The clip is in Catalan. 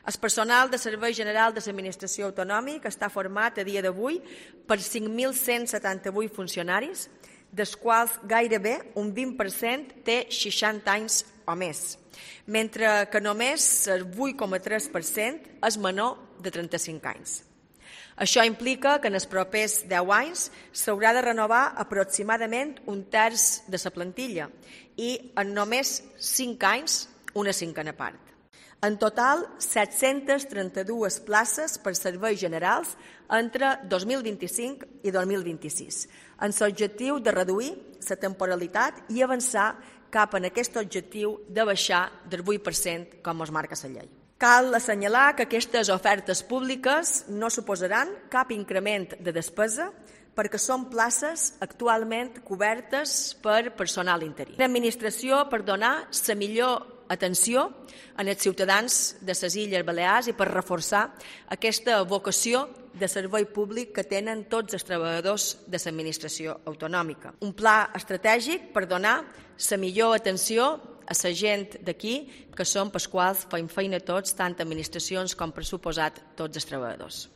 El personal de Servei General de l'Administració Autonòmica està format a dia d'avui per 5.178 funcionaris, dels quals gairebé un 20% té 60 anys o més, mentre que només el 8,3% és menor de 35 anys. Això implica que en els propers 10 anys s'haurà de renovar aproximadament un terç de la plantilla i en només 5 anys una cinquena part. En total, 732 places per serveis generals entre 2025 i 2026, amb l'objectiu de reduir la temporalitat i avançar cap en aquest objectiu de baixar del 8% com es marca la llei. Cal assenyalar que aquestes ofertes públiques no suposaran cap increment de despesa perquè són places actualment cobertes per personal interí. L'administració per donar la millor atenció als ciutadans de les Illes Balears i per reforçar aquesta vocació de servei públic que tenen tots els treballadors de l'administració autonòmica. Un pla estratègic per donar la millor atenció a la gent d'aquí, que són pels quals fem feina tots, tant administracions com per suposat tots els treballadors.